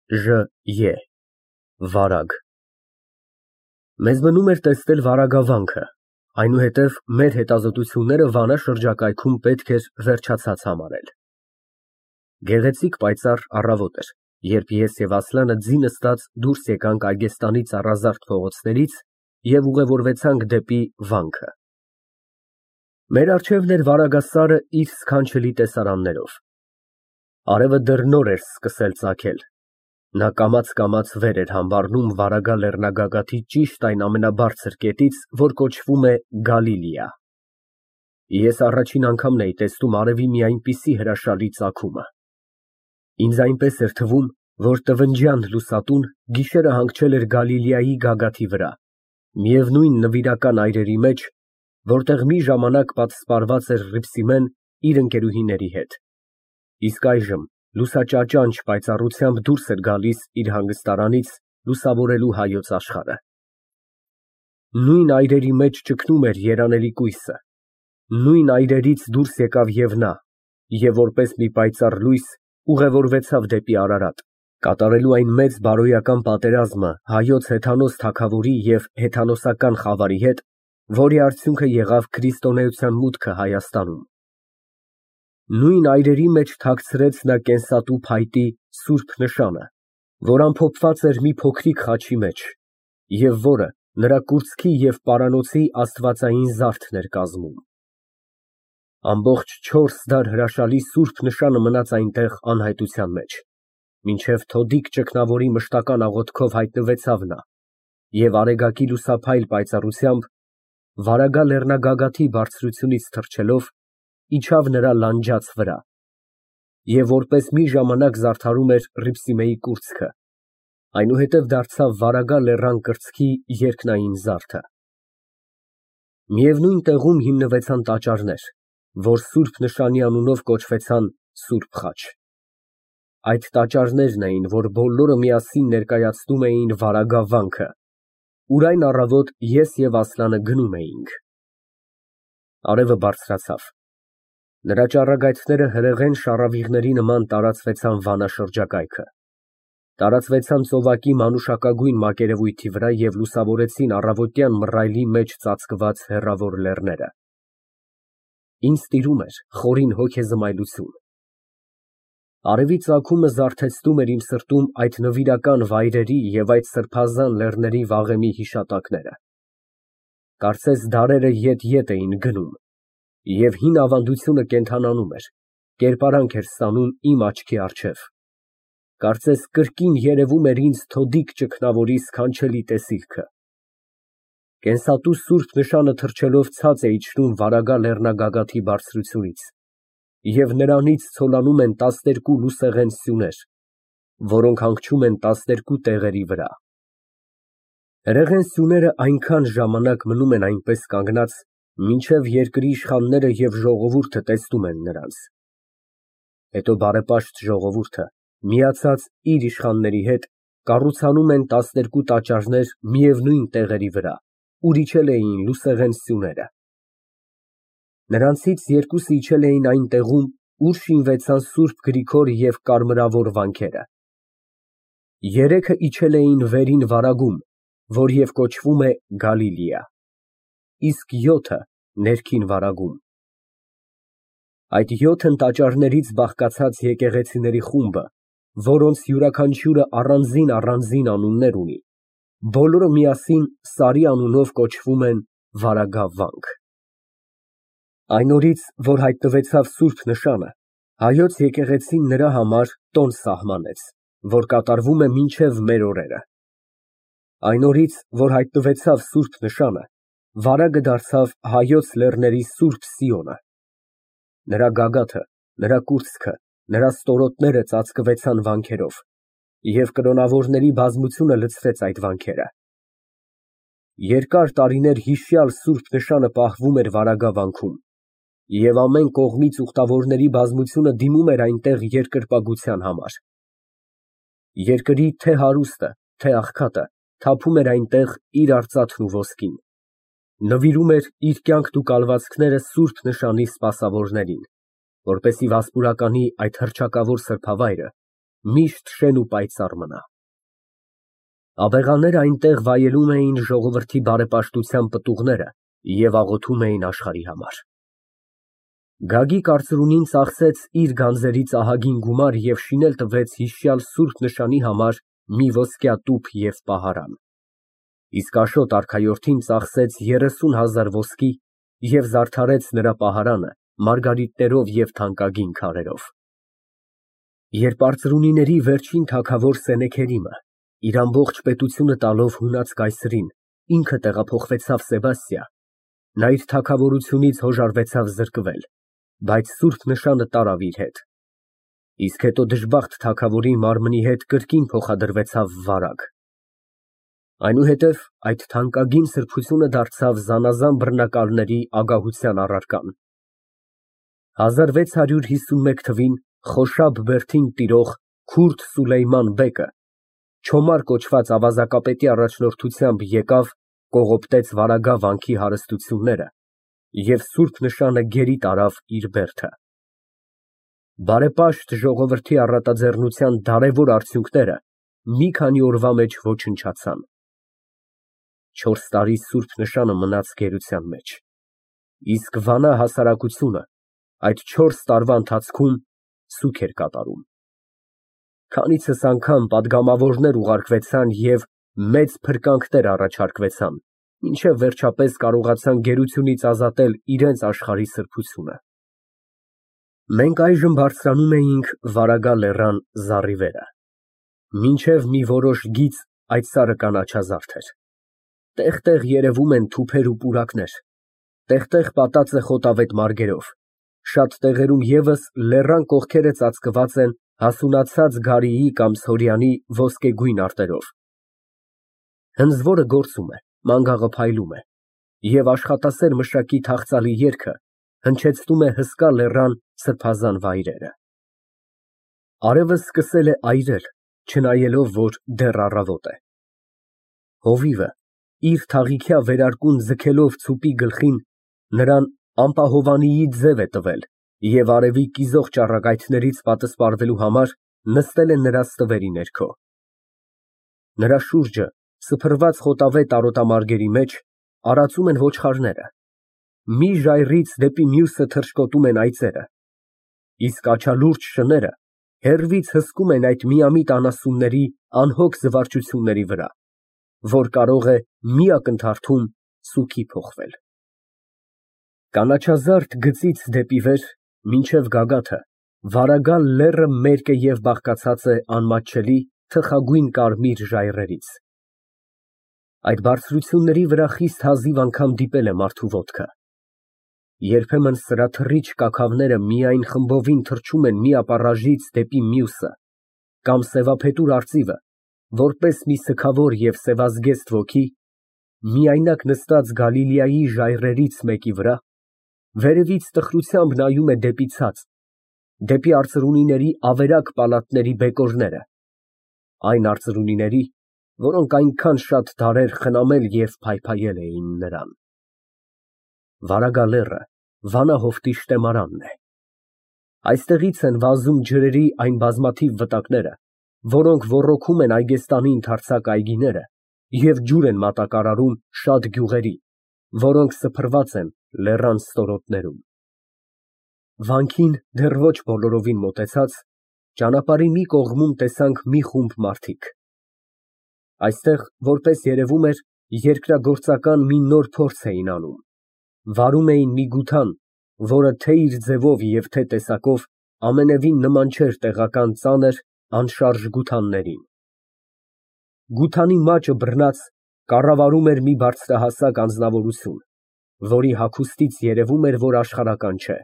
Ժ. Վարագ Մեզ մնում էր տեսնել վարագավանքը, այնուհետև մեր հետազոտությունները Վանա շրջակայքում պետք էր վերջացած համարել։ Գեղեցիկ պայծառ առավոտ էր, երբ ես և Ասլանը ձի նստած դուրս եկանք Այգեստանի ծառազարդ փողոցներից և ուղևորվեցանք դեպի վանքը։ Մեր առջևն էր վարագասարը իր սքանչելի տեսարաններով։ Արևը դեռ նոր էր սկսել ծագել։ Նա կամաց վեր էր համբարնում Վարագա լեռնագագաթի ճիշտ այն ամենաբարձր կետից, որ կոչվում է Գալիլիա։ Ես առաջին անգամն էի տեսնում արևի մի այնպիսի հրաշալի ծագումը։ Ինձ այնպես էր թվում, որ տվնջյան լուսատուն գիշերը հանգչել էր Գալիլեայի գագաթի վրա, միևնույն նվիրական այրերի մեջ, որտեղ մի ժամանակ պատսպարված էր Հռիփսիմեն իր ընկերուհիների հետ, իսկ այժմ լուսաճաճանճ պայծառությամբ դուրս էր գալիս իր հանգստարանից լուսավորելու հայոց աշխարհը։ Նույն այրերի մեջ ճգնում էր երանելի կույսը, նույն այրերից դուրս եկավ և նա, և որպես մի պայծառ լույս ուղևորվեցավ դեպի Արարատ, կատարելու այն մեծ բարոյական պատերազմը հայոց հեթանոս թագավորի և հեթանոսական խավարի հետ, որի արդյունքը եղավ քրիստոնեության մուտքը Հայաստանում։ Նույն այրերի մեջ թաքցրեց նա կենսատու փայտի սուրբ նշանը, որ ամփոփված էր մի փոքրիկ խաչի մեջ, և որը նրա կուրծքի և պարանոցի աստվածային զարդն էր կազմում։ Ամբողջ 4 դար հրաշալի սուրբ նշանը մնաց այնտեղ անհայտության մեջ, մինչև թոդիկ ճգնավորի մշտական աղոթքով հայտնվեցավ նա և արեգակի լուսափայլ պայծառությամբ, Վարագա լեռնագագաթի բարձրությունից թռչելով, իջավ նրա լանջաց վրա և որպես մի ժամանակ զարդարում էր Հռիփսիմեի կուրծքը, այնուհետև դարձավ Վարագա լեռան կրծքի երկնային զարդը։ Միևնույն տեղում հիմնվեցան տաճարներ, որ սուրբ նշանի անունով կոչվեցան Սուրբ Խաչ։ Այդ տաճարներն էին, որ բոլորը միասին ներկայացնում էին Վարագա վանքը, ուր այն առավոտ ես և Ասլանը գնում էինք։ Արևը բարձրացավ։ Նրա ճառագայթները հրեղեն շառավիղների նման տարածվեցան Վանա շրջակայքը, տարածվեցան ծովակի մանուշակագույն մակերևույթի վրա և լուսավորեցին առավոտյան մռայլի մեջ ծածկված հեռավոր լեռները։ Ինձ տիրում էր խորին հոգեզմայլություն։ Արևի ծագումը զարթեցնում էր իմ սրտում այդ նվիրական վայրերի և այդ սրբազան լեռների վաղեմի հիշատակները։ Կարծես դարերը ետ էին գնում, և հին ավանդությունը կենդանանում էր, կերպարանք էր ստանում իմ աչքի առջև, կարծես կրկին երևում էր ինձ թոդիկ ճգնավորի սքանչելի տեսիլքը։ Կենսատու սուրբ նշանը թռչելով ցած է իջնում Վարագա լեռնագագաթի բարձրությունից, և նրանից ցոլանում են 12 լուսեղեն սյուներ, որոնք հանգչում են 12 տեղերի վրա։ Հրեղեն սյուները այնքան ժամանակ մնում են այնպես կանգնած, մինչև երկրի իշխանները և ժողովուրդը տեսնում են նրանց։ Հետո բարեպաշտ ժողովուրդը, միացած իր իշխանների հետ, կառուցանում են 12 տաճարներ միևնույն տեղերի վրա, ուր իջել էին լուսեղեն սյուները։ Նրանցից երկուսը իջել էին այն տեղում, ուր շինվեցան Սուրբ Գրիգոր և Կարմրավոր վանքերը։ Երեքը իջել էին Վերին Վարագում, որ և կոչվում է Գալիլեա, իսկ 7-ը Ներքին Վարագում։ Այդ 7 տաճարներից բաղկացած եկեղեցիների խումբը, որոնց յուրաքանչյուրը առանձին անուններ ունի, բոլորը միասին Սարի անունով կոչվում են Վարագա վանք։ Այն օրից, որ հայտնվեցավ սուրբ նշանը, հայոց եկեղեցին նրա համար տոն սահմանեց, որ կատարվում է մինչև մեր օրերը։ Այն օրից, որ հայտնվեցավ սուրբ նշանը, Վարագը դարձավ հայոց լեռների Սուրբ Սիոնը։ Նրա գագաթը, նրա կուրծքը, նրա ստորոտները ծածկվեցան վանքերով, և կրոնավորների բազմությունը լցրեց այդ վանքերը։ Երկար տարիներ հիշյալ սուրբ նշանը պահվում էր Վարագա վանքում, և ամեն կողմից ուխտավորների բազմությունը դիմում էր այնտեղ երկրպագության համար։ Երկրի թե հարուստը, թե աղքատը թափում էր այնտեղ իր արծաթն ու ոսկին, նվիրում էր իր կյանքն ու կալվածքները սուրբ նշանի սպասավորներին, որպեսզի վասպուրականի այդ հռչակավոր սրբավայրը միշտ շեն ու պայծառ մնա։ Աբեղաները այնտեղ վայելում էին ժողովրդի բարեպաշտության պտուղները և աղոթում էին աշխարհի համար։ Գագիկ արծրունին ծախսեց իր գանձերից ահագին գումար և շինել տվեց հիշյալ սուրբ նշանի համար մի ոսկյա տուփ և պահարան, իսկ Աշոտ արքայորդին ծախսեց 30,000 ոսկի և զարդարեց նրա պահարանը մարգարիտներով և թանկագին քարերով։ Երբ արծրունիների վերջին թագավոր Սենեքերիմը, իր ամբողջ պետությունը տալով հունած կայսրին, ինքը տեղափոխվեցավ Սեբաստիա, նա իր թագավորությունից հոժարվեցավ զրկվել, բայց սուրբ նշանը տարավ իր հետ, իսկ հետո դժբախտ թագավորի մարմնի հետ կրկին փոխադրվեցավ Վարագ։ Այնուհետև այդ թանկագին սրբությունը դարձավ զանազան բռնակալների ագահության առարկան։ 1651 թվին Խոշաբ բերդին տիրող քուրդ Սուլեյման բեկը, Չոմար կոչված ավազակապետի առաջնորդությամբ եկավ, կողոպտեց Վարագա վանքի հարստությունները և սուրբ նշանը գերի տարավ իր բերդը։ Բարեպաշտ ժողովրդի առատաձեռնության դարավոր արդյունքները մի քանի օրվա մեջ ոչնչացան։ 4 տարի սուրբ նշանը մնաց գերության մեջ, իսկ Վանա հասարակությունը այդ 4 տարվա ընթացքում սուգ էր կատարում։ Քանիցս անգամ պատգամավորներ ուղարկվեցան և մեծ փրկանքներ առաջարկվեցան, մինչև վերջապես կարողացան գերությունից ազատել իրենց աշխարհի սրբությունը։ Մենք այժմ բարձրանում էինք Վարագա լեռան զառիվերը, մինչև մի որոշ գիծ այդ սարը կանաչազարդ էր։ Տեղ֊տեղ երևում են թուփեր ու պուրակներ, տեղ֊տեղ պատած է խոտավետ մարգերով, շատ տեղերում ևս լեռան կողքերը ծածկված են հասունացած գարիի կամ սորյանի ոսկեգույն արտերով։ Հնձվորը գործում է, մանգաղը փայլում է, և աշխատասեր մշակի թախծալի երգը հնչեցնում է հսկա լեռան սրբազան վայրերը։ Արևը սկսել է այրել, չնայելով, որ դեռ առավոտ է։ Հովիվը, իր թաղիքյա վերարկուն ձգելով ծուպի գլխին, նրան ամպահովանիի ձև է տվել և արևի կիզող ճառագայթներից պատսպարվելու համար նստել է նրա ստվերի ներքո։ Նրա շուրջը, սփռված խոտավետ արոտամարգերի մեջ, արածում են ոչխարները, մի ժայռից դեպի մյուսը թռչկոտում են այծերը, իսկ աչալուրջ շները հեռվից հսկում են այդ միամիտ անասունների անհոգ զվարճությունների վրա, որ կարող է մի ակնթարթում սուգի փոխվել։ Կանաչազարդ գծից դեպի վեր, մինչև գագաթը, Վարագա լեռը մերկ է և բաղկացած է անմատչելի թխագույն կարմիր ժայռերից։ Այդ բարձրությունների վրա խիստ հազիվ անգամ դիպել է մարդու ոտքը։ Երբեմն սրա թռիչք կաքավները միայն խմբովին թռչում են մի ապառաժից դեպի մյուսը, կամ սևափետուր արծիվը, որպես մի սգավոր և սևազգեստ ոգի, միայնակ նստած Գալիլեայի ժայռերից մեկի վրա, վերևից տխրությամբ նայում է դեպի ցած, դեպի արծրունիների ավերակ պալատների բեկորները, այն արծրունիների, որոնք այնքան շատ դարեր խնամել և փայփայել էին նրան։ Վարագա լեռը Վանա հովտի շտեմարանն է։ Այստեղից են վազում ջրերի այն բազմաթիվ վտակները, որոնք ոռոգում են Այգեստանի ընդարձակ այգիները և ջուր են մատակարարում շատ գյուղերի, որոնք սփռված են լեռան ստորոտներում։ Վանքին դեռ ոչ բոլորովին մոտեցած, ճանապարհի մի կողմում տեսանք մի խումբ մարդիկ։ Այստեղ, որպես երևում էր, երկրագործական մի նոր փորձ էին անում, վարում էին մի գութան, որը թե իր ձևով և թե տեսակով ամենևին նման չէր տեղական ծանր, անշարժ գութաններին։ Գութանի մաճը բռնած կառավարում էր մի բարձրահասակ անձնավորություն, որի հագուստից երևում էր, որ աշխարհական չէ։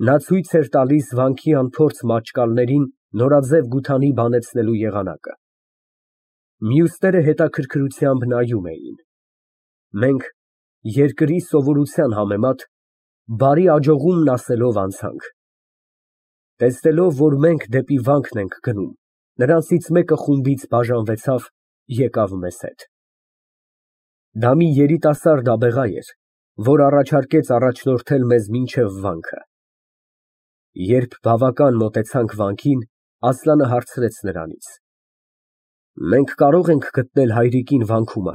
Նա ցույց էր տալիս վանքի անփորձ մաճկալներին նորաձև գութանի բանեցնելու եղանակը։ Մյուսները հետաքրքրությամբ նայում էին։ Մենք, երկրի սովորության համեմատ, բարի աջողումն ասելով անցանք։ Տեսնելով, որ մենք դեպի վանքն ենք գնում, նրանցից մեկը խումբից բաժանվեցավ, եկավ մեզ հետ։ Դա մի երիտասարդ աբեղա էր, որ առաջարկեց առաջնորդել մեզ մինչև վանքը։ Երբ բավական մոտեցանք վանքին, Ասլանը հարցրեց նրանից. Մենք կարող ենք գտնել հայրիկին վանքումը։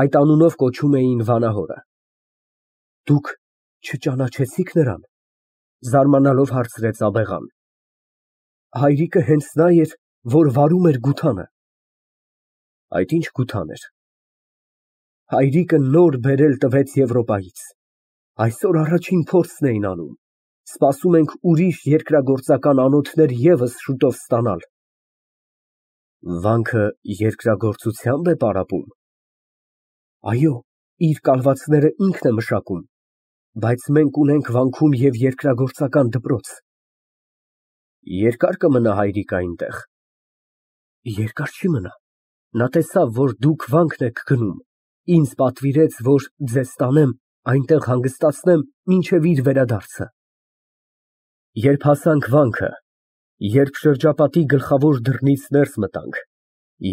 Այդ անունով կոչում էին վանահորը։ Դուք չճանաչեցի՞ք նրան, զարմանալով հարցրեց աբեղան։ Հայրիկը հենց նա էր, որ վարում էր գութանը։ Այդ ինչ գութան էր։ Հայրիկը նոր բերել տվեց Եվրոպայից։ Այսօր առաջին փորձն էին անում։ Սպասում ենք ուրիշ երկրագործական անոթներ ևս շուտով ստանալ։ Վանքը երկրագործությամբ է պարապում։ Այո, իր կալվածները ինքն է մշակում, բայց մենք ունենք վանքում և երկրագործական դպրոց։ Երկա՞ր կմնա հայրիկը այնտեղ։ Երկար չի մնա։ Նա տեսավ, որ դուք վանքն եք գնում, ինձ պատվիրեց, որ ձեզ տանեմ, այնտեղ հանգստացնեմ մինչև իր վերադարձը։ Երբ հասանք վանքը, երբ շրջապատի գլխավոր դռնից ներս մտանք,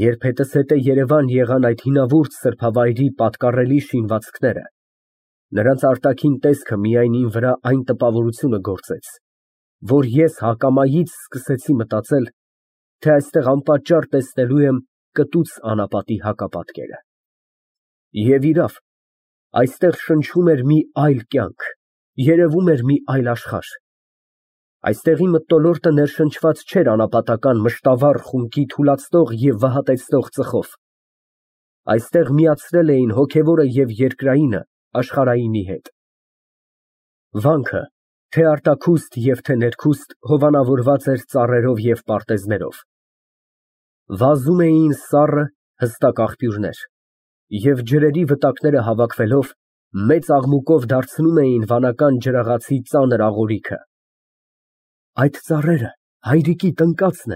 երբ հետզհետե Երևան եղան այդ հինավուրց սրբավայրի պատկառելի շինվածքները, նրանց արտաքին տեսքը միայն իմ վրա այն տպավորությունը գործեց, որ ես հակամայից սկսեցի մտածել, թե այստեղ անպատճառ տեսնելու եմ կտուց անապատի հակապատկերը։ Եվ իրավ, այստեղ շնչում էր մի այլ կյանք, երևում էր մի այլ աշխարհ։ Այստեղի մթնոլորտը ներշնչված չէր անապատական մշտավառ խունկի թուլացնող և վհատեցնող ծխով։ Այստեղ միացրել էին հոգևորը և երկրայինը աշխարհայինի հետ։ Վանքը, թե արտաքուստ և թե ներքուստ, հովանավորված էր ծառերով և պարտեզներով։ Վազում էին սառը, հստակ աղբյուրներ, և ջրերի վտակները հավաքվելով, մեծ աղմուկով դարձնում էին վանական ջրաղացի ծանր աղորիքը։ Այդ ծառերը հայրիկի տնկացն է,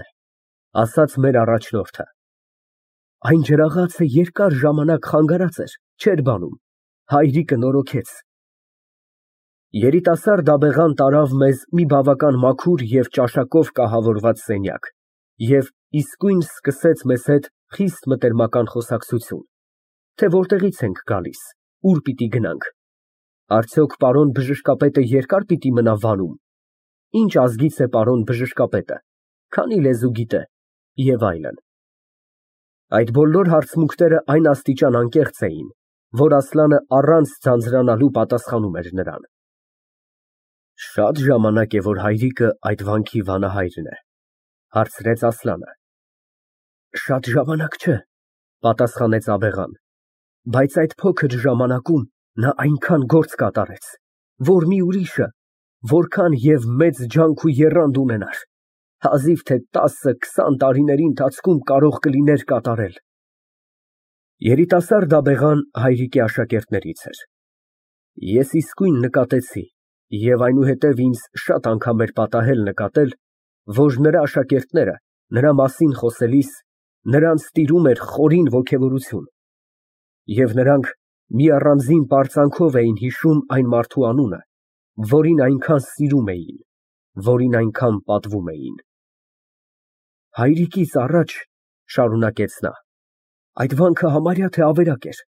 ասաց մեր առաջնորդը։ Այն ջրաղացը երկար ժամանակ խանգարած էր, չէր բանում, հայրիկը նորոգեց։ Երիտասարդ աբեղան տարավ մեզ մի բավական մաքուր և ճաշակով կահավորված սենյակ և իսկույն սկսեց մեզ հետ խիստ մտերմական խոսակցություն, թե որտեղից ենք գալիս, ուր պիտի գնանք, արդյոք պարոն բժշկապետը երկա՞ր պիտի մնա Վանում, ինչ ազգից է պարոն բժշկապետը, քանի լեզու գիտե և այլն։ Այդ բոլոր հարցմունքները այն աստիճան անկեղծ էին, որ Ասլանը առանց ձանձրանալու պատասխանում էր նրան։ Շատ ժամանակ է, որ հայրիկը այդ վանքի վանահայրն է, հարցրեց Ասլանը։ Շատ ժամանակ չէ, պատասխանեց աբեղան, բայց այդ փոքր ժամանակում նա այնքան գործ կատարեց, որ մի ուրիշը որքան և մեծ ջանք ու եռանդ ունենար, հազիվ թե 10-20 տարիների ընթացքում կարող կլիներ կատարել։ Երիտասարդ աբեղան հայրիկի աշակերտներից էր։ Ես իսկույն նկատեցի, և այնուհետև ինձ շատ անգամ էր պատահել նկատել, որ նրա աշակերտները նրա մասին խոսելիս նրանց տիրում էր խորին ոգևորություն, և նրանք մի առանձին պարծանքով էին հիշում այն մարդու անունը, որին այնքան սիրում էին, որին այնքան պատվում էին։ Հայրիկից առաջ, շարունակեց նա, այդ վանքը համարյա թե ավերակ էր,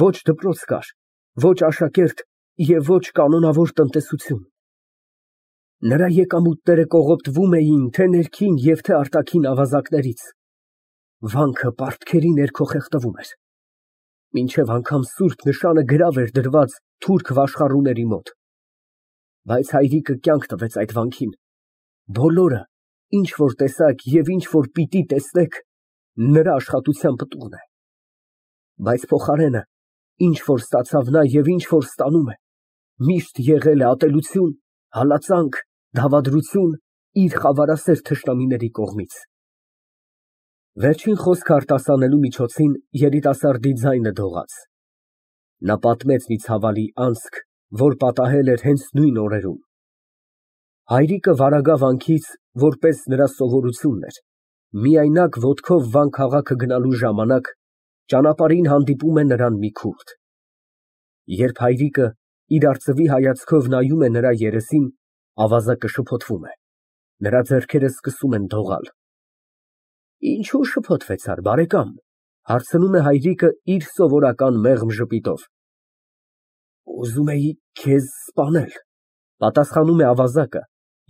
ոչ դպրոց կար, ոչ աշակերտ և ոչ կանոնավոր տնտեսություն։ Նրա եկամուտները կողոպտվում էին թե ներքին և թե արտաքին ավազակներից։ Վանքը պարտքերի ներքո խեղդվում էր։ Մինչև անգամ սուրբ նշանը գրավ էր դրված թուրք վաշխառուների մոտ։ Բայց հայրիկը կյանք տվեց այդ վանքին։ Բոլորը, ինչ որ տեսաք և ինչ որ պիտի տեսնեք, նրա աշխատության պտուղն է։ Բայց փոխարենը, ինչ որ ստացավ նա և ինչ որ ստանում է, միշտ եղել է ատելություն, հալածանք, դավադրություն իր խավարասեր թշնամիների կողմից։ Վերջին խոսքը արտասանելու միջոցին երիտասարդի ձայնը դողաց։ Նա պատմեց մի ցավալի անցք, որ պատահել էր հենց նույն օրերում։ Հայրիկը վարագա վանքից, որպես նրա սովորությունն էր, միայնակ ոտքով Վան քաղաքը գնալու ժամանակ ճանապարհին հանդիպում է նրան մի քուրդ։ Երբ հայրիկը իր արծվի հայացքով նայում է նրա երեսին, ավազակը շփոթվում է, նրա ձեռքերը սկսում են դողալ։ Ինչո՞ւ շփոթվեցար, բարեկամ, հարցնում է հայրիկը իր սովորական մեղմ ժպիտով։ Ուզում էի քեզ սպանել, պատասխանում է ավազակը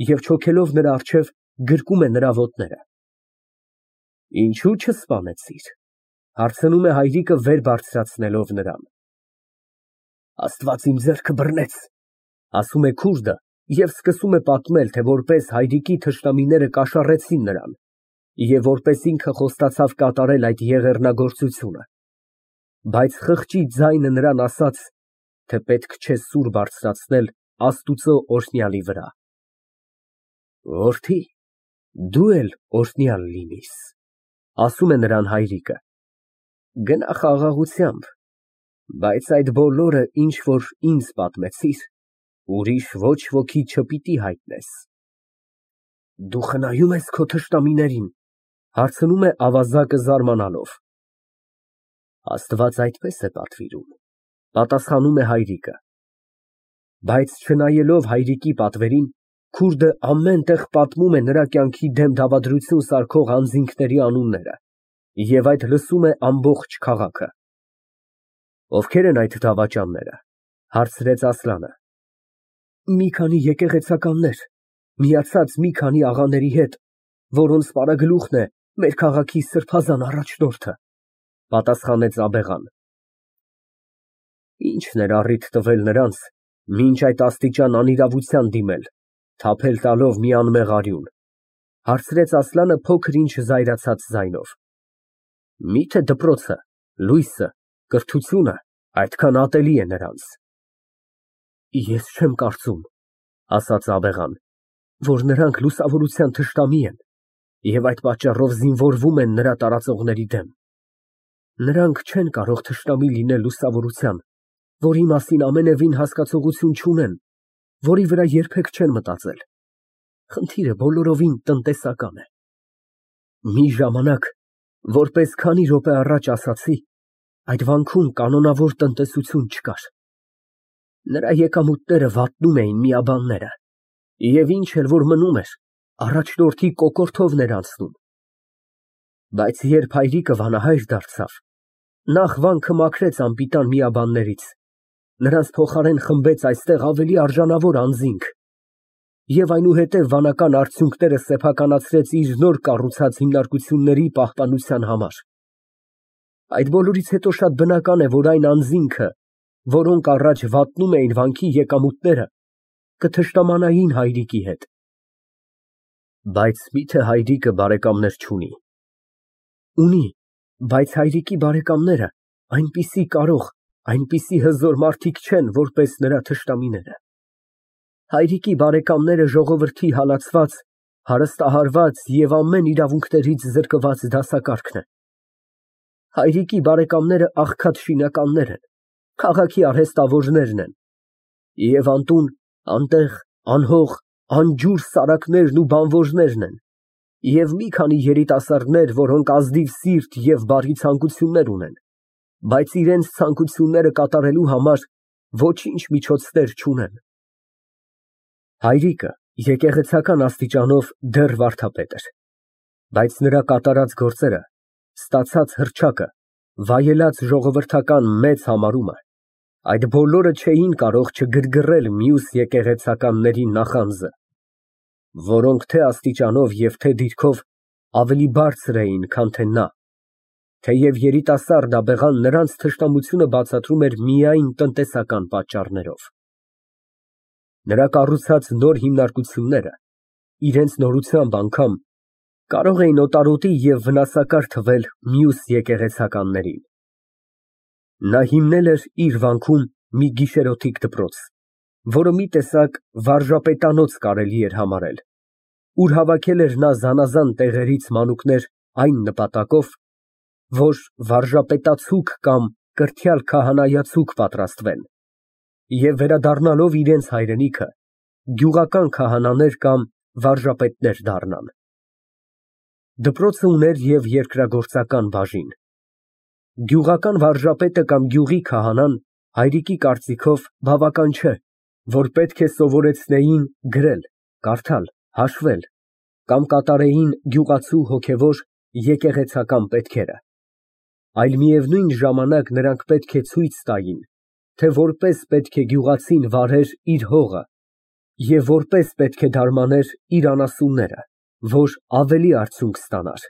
և չոքելով նրա առջև գրկում է նրա ոտները։ Ինչու չսպանեցիր, հարցնում է հայրիկը վեր բարձրացնելով նրան։ Աստված իմ ձեռքը բռնեց, ասում է քուրդը և սկսում է պատմել, թե որպես հայրիկի թշնամիները կաշառեցին նրան և որպես ինքը խոստացավ կատարել այդ եղեռնագործությունը, բայց խղճի ձայնը նրան ասաց, թե պետք չէ սուր բարձրացնել Աստուծո օրհնյալի վրա։ Որդի, դու էլ օրհնյալ լինիր, ասում է նրան հայրիկը, գնա խաղաղությամբ, բայց այդ բոլորը, ինչ որ ինձ պատմեցիր, ուրիշ ոչ ոքի չպիտի հայտնես։ Դու խնայո՞ւմ ես քո թշնամիներին, հարցնում է ավազակը զարմանալով։ Աստված այդպես է պատվիրում, պատասխանում է հայրիկը։ Բայց չնայելով հայրիկի պատվերին, քուրդը ամեն տեղ պատմում է նրա կյանքի դեմ դավադրություն սարքող անձինքների անունները, և այդ լսում է ամբողջ քաղաքը։ Ովքեր են այդ դավաճանները, հարցրեց Ասլանը։ Մի քանի եկեղեցականներ, միացած մի քանի աղաների հետ, որոնց պարագլուխն է մեր քաղաքի սրբազան առաջնորդը, պատասխանեց աբեղան։ Ի՞նչն էր առիթ տվել նրանց, մինչ այդ աստիճան անիրավության դիմել, թափել տալով մի անմեղ արյուն, հարցրեց Ասլանը փոքր-ինչ զայրացած ձայնով։ Միթե դպրոցը, լույսը, կրթությունը այդքան ատելի է նրանց։ Ես չեմ կարծում, ասաց աբեղան, որ նրանք լուսավորության թշնամի են և այդ պատճառով զինվորվում են նրա տարածողների դեմ։ Նրանք չեն կարող թշնամի լինել լուսավորության, որի մասին ամենևին հասկացողություն չունեն, որի վրա երբեք չեն մտածել։ Խնդիրը բոլորովին տնտեսական է։ Մի ժամանակ, որպես քանի րոպե առաջ ասացի, այդ վանքում կանոնավոր տնտեսություն չկար։ Նրա եկամուտները վատնում էին միաբանները, և ինչ էլ որ մնում էր, առաջնորդի կոկորդովն էր անցնում։ Բայց երբ հայրիկը վանահայր դարձավ, նախ վանքը մաքրեց անպիտան միաբաններից, նրանց փոխարեն խմբեց այստեղ ավելի արժանավոր անձինք, և այնուհետև վանական արդյունքները սեփականացրեց իր նոր կառուցած հիմնարկությունների պահպանության համար։ Այդ բոլորից հետո շատ բնական է, որ այն անձինքը, որոնք առաջ վատնում էին վանքի եկամուտները, կթշնամանային հայրիկի հետ։ Բայց միթե հայրիկը բարեկամներ չունի։ Ունի, բայց հայրիկի բարեկամները այնպիսի կարող, այնպիսի հզոր մարդիկ չեն, որպես նրա թշնամիները։ Հայրիկի բարեկամները ժողովրդի հալածված, հարստահարված և ամեն իրավունքներից զրկված դասակարգն են։ Հայրիկի բարեկամները աղքատ շինականներ են, քաղաքի արհեստավորներն են, և անտուն, անտեղ, անհող, անջուր սարակներն ու բանվոժներն են, և մի քանի երիտասարդներ, որոնք ազնիվ սիրտ և բարի ցանկություններ ունեն, բայց իրենց ցանկությունները կատարելու համար ոչինչ միջոցներ չունեն։ Հայրիկը եկեղեցական աստիճանով դեռ վարդապետ էր, բայց նրա կատարած գործերը, ստացած հռչակը, վայելած ժողովրդական մեծ համարումը, այդ բոլորը չէին կարող չգրգռել մյուս եկեղեցականների նախանձը, որոնք թե աստիճանով և թե դիրքով ավելի բարձր էին, քան թե նա, թեև երիտասարդ աբեղան նրանց թշնամությունը բացատրում էր միայն տնտեսական պատճառներով։ Նրա կառուցած նոր հիմնարկությունները, իրենց նորությամբ անգամ, կարող էին օտարոտի և վնասակար թվել մյուս եկեղեցականներին։ Նա հիմնել էր իր վանքում մի գիշերօթիկ դպրոց, որը մի տեսակ վարժապետանոց կարելի էր համարել, ուր հավաքել էր նա զանազան տեղերից մանուկներ այն նպատակով, որ վարժապետացուկ կամ կրթյալ քահանայացուկ պատրաստվեն և վերադառնալով իրենց հայրենիքը, գյուղական քահանաներ կամ վարժապետներ դառնան։ Դպրոցը ուներ և երկրագործական բաժին։ Գյուղական վարժապետը կամ գյուղի քահանան հայրիկի կարծիքով բավական չէ, որ պետք է սովորեցնեին գրել, կարդալ, հաշվել կամ կատարեին գյուղացու հոգևոր եկեղեցական պետքերը, այլ միևնույն ժամանակ նրանք պետք է ցույց տային, թե որպես պետք է գյուղացին վարեր իր հողը և որպես պետք է դարմաներ իր անասունները, որ ավելի արդյունք ստանար։